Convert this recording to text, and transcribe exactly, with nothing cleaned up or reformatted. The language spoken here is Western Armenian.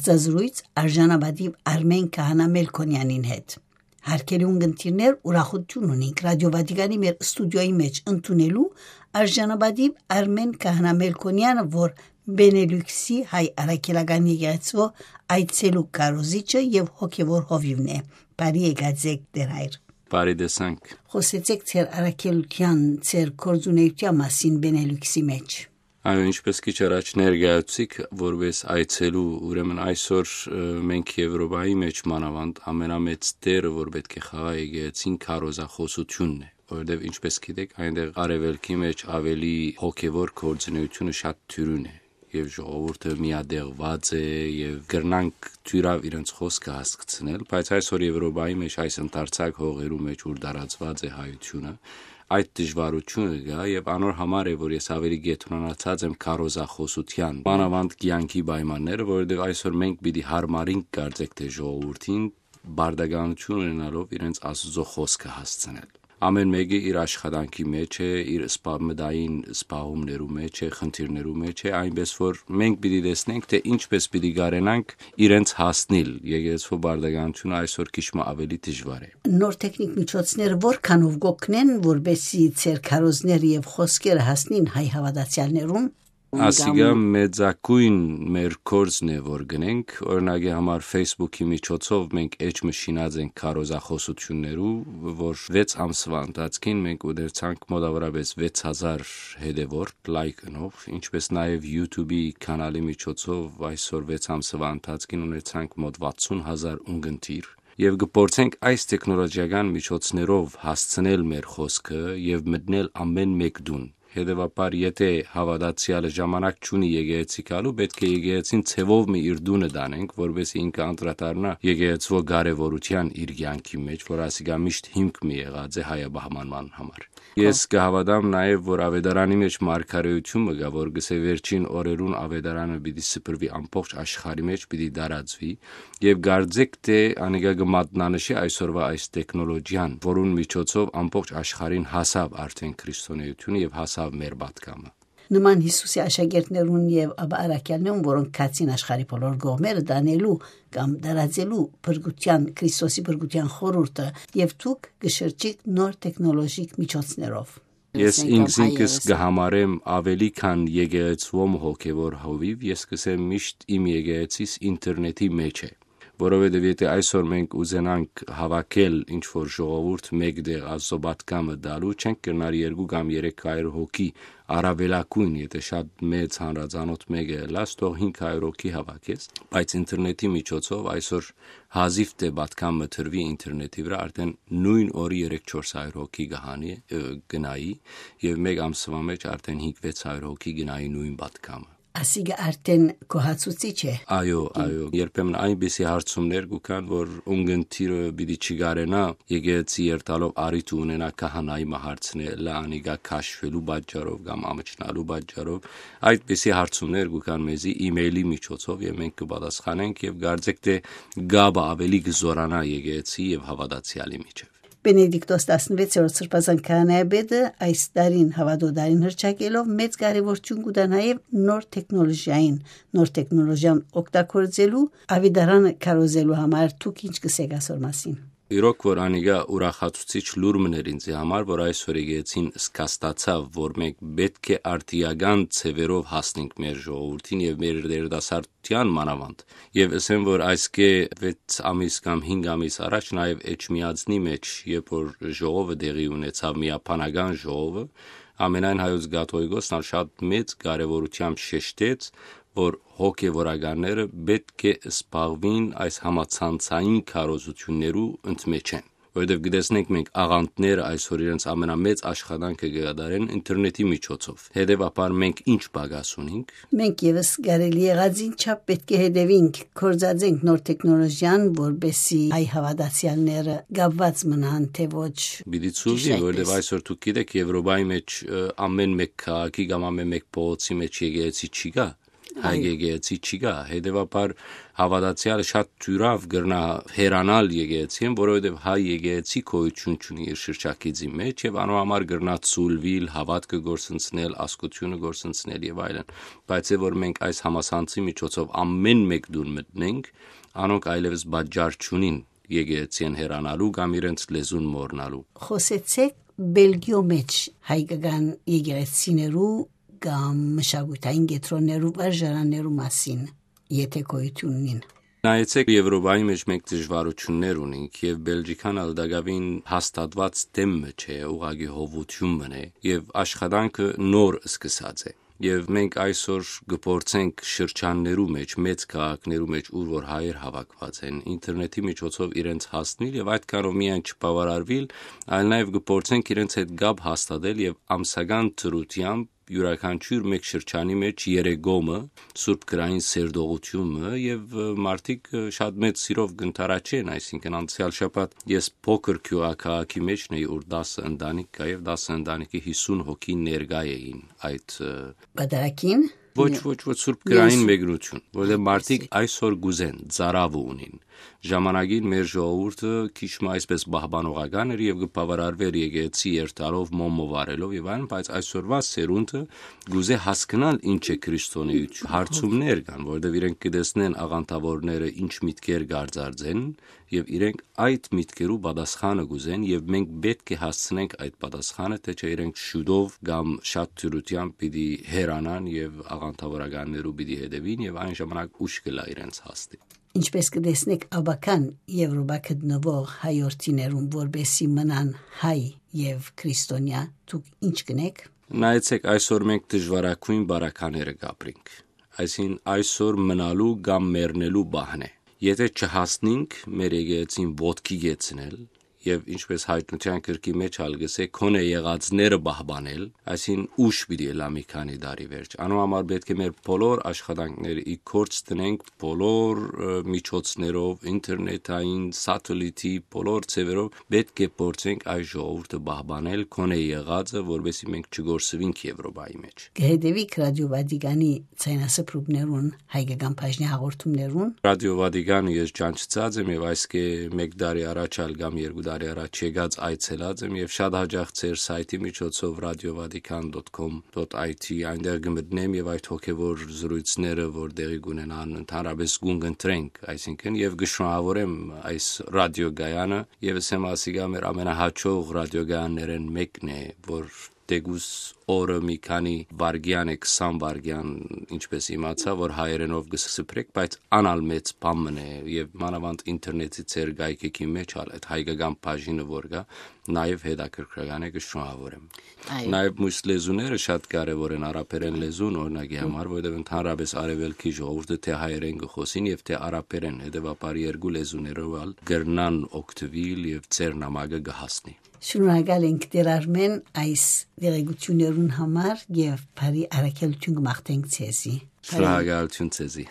Զազրույց արժանապատիվ Արմեն Քահանա Մելքոնեանին հետ։ Հարգելի ունգընտիրներ, ուրախութիւն ունենք Ռադիո Վատիկանի մեր ստուդիոյի մէջ ընդունելու արժանապատիվ Արմեն Քահանա Մելքոնեանը, որ Բենելուքսի հայ առաքելական եկեղեցու այցելու քարոզիչը եւ հոգեւոր հովիւն է։ Բարի եկած եք, Տեր հայր։ Բարի տեսանք։ Խօսեցեք ձեր առաքելութեան, ձեր գործունեութեան մասին Բենելուքսի մէջ։ Այո, ինչպես քիչ առաջ ներկայացուցիք, որպես այցելու, ուրեմն այսօր, ը, մենք Եվրոպայի մէջ մանաւանդ ամենամեծ դերը, որ պէտք է խաղայ եկեղեցին, քարոզախօսութիւնն է, որովհետեւ, ինչպես գիտեք, այնտեղ արեւելքի մէջ ավելի հոգեվոր գործունեությունը շատ դիւրին է, եւ ժողովուրդը միատեղուած է, եւ կրնանք դիւրաւ իրենց խօսքը հասկցնել, բայց այսօր Եվրոպայի մէջ այս ընդարձակ հողերու մէջ, ուր տարածուած է հայությունը, այդ դժվարութիւնը կայ, եւ անոր համար է, որ ես ավելի կեդրոնացած եմ քարոզախօսութեան, մանաւանդ կեանքի պայմանները, որովհետեւ այսօր մենք պիտի յարմարինք կարծեք թէ ժողովուրդին պարտականութիւն ունենալով իրենց Աստուծոյ խօսքը հասցնել։ Ամէն մէկը իր աշխատանքի մէջ է, իր սպա-, մտային սպաղումներու մէջ է, խնդիրներու մէջ է, այնպէս որ մենք պիտի տեսնենք թէ ինչպէս պիտի կարենանք իրենց հասնիլ։ Եկեղեցու պարտականութիւնը այսօր քիչ մը ավելի դժվար է։ Նոր թեխնիկ միջոցները որքանով կօգնեն, որպեսզի ձեր քարոզները եւ խօսքերը հասնին հայ հաւատացեալներուն։ Ասիկա մեծագոյն մեր կորձն է, որ գնենք։ Օրինակի համար, Facebook-ի միջոցով մենք էջ մը շինած ենք քարոզախօսութիւններու, որ վեց ամսվա ընթացքին մենք ուտերցանք մոտավորապես վեց հազար հետեւորդ, լայք ընող, ինչպես նաեւ YouTube-ի կանալի միջոցով այսօր վեց ամսվա ընթացքին ունեցանք մոտ վաթսուն հազար ունգընտիր, եւ կփորձենք այս տեխնոլոգիական միջոցներով հասցնել մեր խօսքը եւ մտնել ամէն մէկ տուն։ Հետեւաբար, եթե հաւատացեալը ժամանակ չունի եկեղեցի գալու, պէտք է եկեղեցին ձեւով մը իր տունը տանենք, որպեսզի ինքը անդրադառնայ եկեղեցու կարեւորութեան իր կեանքի մէջ, որ ասիկա միշտ հիմք մը եղած է հայաբահմանման համար։ Ես կհաւատամ նաեւ, որ աւետարանի մէջ մարգարէութիւն մը կայ, որ կ'ըսէ, վերջին օրերուն աւետարանը պիտի սփռուի, ամբողջ աշխարհի մէջ պիտի տարածուի, եւ կարծեք թէ անիկա կը մատնանշի այսօրվա այս տեխնոլոգիան, որուն միջոցով ամբողջ աշխարհին հասաւ արդէն քրիստոնէութիւնը եւ հասաւ մեր պատգամը։ Նման Յիսուսի աշակերտներուն եւ ապա առաքյալներուն, որոնք գացին աշխարհի բոլոր կողմերը տանելու կամ տարածելու փրկութեան, Քրիստոսի փրկութեան խորհուրդը, եւ դուք կը շրջիք նոր տեխնոլոգիկ միջոցներով։ Ես ինքզինքս կը համարեմ ավելի քան եկեղեցուոմ հոգեվոր հովիվ, ես կ'ըսեմ միշտ իմ եկեղեցիս ինտերնետի մէջ է, որովհետեւ եթե այսօր մենք ուզենանք հաւաքել ինչ-որ ժողովուրդ մէկ տեղ Աստծոյ պատգամը տալու, չենք կրնար երկու կամ երեք հարիւր հոգի առաւելագոյն, եթե շատ մեծ հանրածանօթ մէկը ըլլաս, թող հինգ հարիւր հոգի հաւաքես, բայց ինտերնետի միջոցով այսօր հազիվ թէ պատգամ մը տրուի ինտերնետի վրայ, արդէն նոյն օրը երեք-չորս հարիւր հոգի կը հանի, ը, կը նայի, եւ մէկ ամսուայ մէջ արդէն հինգ-վեց հարիւր հոգի կը նայի նոյն պատգամը։ Ասիկա արդէն գոհացուցիչ է։ Այո, այո, երբեմն այնպիսի հարցումներ կու գան, որ ունգընտիրը պիտի չկարենայ եկեղեցի երթալով առիթ ունենայ քահանայի մը հարցնելը, անիկա քաշուելու պատճառով կամ ամչնալու պատճառով։ Այդպիսի հարցումներ կու գան մեզի email-ի միջոցով, եւ մենք կը պատասխանենք, եւ կարծեք թէ կապը ավելի կը զօրանայ եկեղեցի եւ հաւատացեալի միջեւ։ Բենեդիկտոս տասնվեցերորդ սրբազան քահանայապետը այս տարին հաւատոյ տարին հռչակելով մեծ կարեւորութիւն կու տայ նաեւ նոր տեխնոլոգիային, նոր տեխնոլոգիան օգտագործելու, աւետարանը քարոզելու համար։ Դուք ինչ կ'ըսէք ասոր մասին։ Իրոք որ անիկա ուրախացուցիչ լուր մըն էր ինձի համար, որ այսօր եկեղեցին զգաստացաւ, որ մենք պէտք է արդիական ձեւերով հասնենք մեր ժողովուրդին եւ մեր երիտասարդութեան մանաւանդ։ Եւ ըսեմ, որ այսկէ վեց ամիս կամ հինգ ամիս առաջ նաեւ Էջմիածնի մէջ, երբ որ ժողովը տեղի ունեցաւ, միաբանական ժողովը, ամենայն հայոց կաթողիկոսն ալ շատ մեծ կարեւորութեամբ շեշտեց, որ հոգեվորականները պէտք է զբաղուին այս համացանցային քարոզութիւններու ընդմէջէն, որովհետեւ կտեսնենք մենք աղանդները այսօր իրենց ամենամեծ աշխատանքը կը կատարեն ինտերնետի միջոցով։ Հետեւաբար մենք ինչ պակաս ունենք։ Մենք եւս կարելի եղածին չափ պէտք է հետեւինք, գործածենք նոր տեխնոլոգիան, որպեսզի հայ հաւատացեալները կապուած մնան, թէ ոչ։ Պիտի ցուզի, ճիշտ որովհետեւ այսպէս։ Այսօր դուք գիտէք, Եվրոպայի մէջ, ը, ամէն մէկ քաղաքի կամ ամէն մէկ փողոցի մէջ եկեղեցի չի գա, Հայ Այո։ Եկեղեցի չի գա, հետեւաբար հաւատացեալը շատ դիւրաւ կրնայ հեռանալ եկեղեցիէն, որովհետեւ հայ եկեղեցի գոյութիւն չունի իր շրջագիծի մեջ եւ անոր համար կրնայ ցուլուիլ, հաւատքը գործընծնել, ազգութիւնը գործընծնել եւ այլն։ Բայց է որ մենք այս համասանցի միջոցով ամէն մէկ տուն մտնենք, անոնք այլեւս պատճառ չունին եկեղեցիէն հեռանալու կամ իրենց լեզուն մոռնալու։ Խօսեցէք Բելգիոյ մեջ հայկական եկեղեցիներու կամ մշակութային կեդրոններու վարժարաններու մասին, եթե գոյութիւն ունին։ Նայեցեք, Եվրոպայի մեջ մենք դժվարութիւններ ունենք եւ Բելգիքան ալ տակաւին հաստատուած դէմ մը չէ, ուղղակի հովութիւն մը է եւ աշխատանքը նոր սկսած է։ Եւ մենք այսօր կը փորձենք շրջաններու մեջ, մեծ քաղաքներու մեջ, ուր որ հայեր հաւաքուած են, ինտերնետի միջոցով իրենց հասնիլ եւ այդքանով միայն չբաւարարուիլ, այլ նաեւ կը փորձենք իրենց հետ կապ հաստատել եւ ամսական դրությամբ յուրաքանչիւր մէկ շրջանի մեջ երեգոմը, սուրբ գրային սերտողութիւնը եւ, ը, մարդիկ, ը, շատ մեծ սիրով կ'ընթառաջեն, այսինքն անցեալ շաբաթ ես փոքր գիւղաքաղաքի մեջն էի, ուր տասը ընտանիք կայ եւ տասը ընտանիքի հիսուն հոգի ներկայ էին այդ, ը, Պատարագին։ Ոչ, ոչ, ոչ, սուրբ գրային Ես- մեկնություն, որտեղ մարդիկ Այսինքն- այսօր կուզեն, ծարաւը ունին։ Ժամանակին մեր ժողովուրդը քիչ մը այսպես պահպանողական էր եւ կը բաւարարվեր եկեղեցի երթալով, մոմը վառելով եւ այլն, բայց այսօրվա սերունդը կուզէ հասկնալ ինչ է քրիստոնեություն։ Հարցումներ կան, որտեղ իրենք կտեսնեն աղանդավորները ինչ միտքեր կարձարծեն եւ իրենք այդ միտքերու պատասխանը կուզեն եւ մենք պէտք է հասցնենք այդ պատասխանը, թե չէ իրենք շուտով կամ շատ դյուրությամբ պիտի հեռանան եւ աղանդավորականներու պիտի հետեւին եւ այն ժամանակ ուշ կ'ըլլայ իրենց հասնի։ Ինչպես կտեսնեք, աբական Եվրոպա գտնուող հայորդիներուն, որպեսզի մնան հայ եւ քրիստոնեայ, դուք ինչ կ'ընէք։ Նայեցեք, այսօր մենք դժվարագոյն բարակաները կ'ապրենք, այսինքն այսօր մնալու կամ մեռնելու պահն է։ Եթե չհասնինք մեր եկեղեցին ոտքի գեցնել, եւ ինչպես հայտնության գրքի մեջ ալ կ'ըսէ, քոնէ եղածները պահպանել, այսինքն ուշ պիտի ըլլայ մի քանի տարի վերջ։ Անոր համար պէտք է մեր բոլոր աշխատանքները ի գործ դնենք, բոլոր, ը, միջոցներով, ինտերնետային, սատելիտի, բոլոր ձեւերով պէտք է փորձենք այս ժողովուրդը պահպանել, քոնէ եղածը, որպեսզի մենք չգործվինք Եվրոպայի մեջ։ Կհետևիք Ռադիո Վատիկանի ցայնասփռումներուն, հայկական բաժնի հաղորդումներուն։ Ռադիո Վատիկանը ես ճանչցած եմ եւ այսքէ մէկ տարի առաջ ալ կամ երկու տարի առաջ եկած այցելած եմ եւ շատ հաճախ ձեր սայթի միջոցով ռադիո վատիկան դոթ կոմ դոթ այ թի այնտեղ կը մտնեմ եւ այդ հոգեվոր զրույցները, որ տեղի կունենան, ընդհանրապես կուն կընտրենք, այսինքն, եւ կը շնորհավորեմ այս ռադիոկայանը, եւս եմ ասիկա մեր ամենահաճող ռադիոկայաններէն մեկն է, որ դեգուս օրը մի քանի վարգեան է, քսան վարգեան, ինչպես իմացայ, որ հայերէնով կը սփռեք, բայց անալ մեծ բան մըն է, եւ մանաւանդ ինտերնետի ձեր գայքեքի մեջ ալ այդ հայկական բաժինը որ կայ, նաեւ հետաքրքրական է, կը շնորհավորեմ։ Այո։ Նաեւ մյուս լեզուները շատ կարեւոր են, արաբերեն լեզուն, օրինակի համար, որովհետեւ ընդհանրապես արեւելքի ժողովուրդը թե հայերեն կը խօսին եւ թե արաբերեն, հետեւաբար երկու լեզուներով ալ կրնան օգտուիլ եւ ձեր նամակը կը հասնի։ Շնորհակալ ենք, Տեր Արմեն, այս տեղեկություններուն համար եւ բարի առաքելություն կմաղթենք ձեզի։ Շնորհակալություն ձեզի։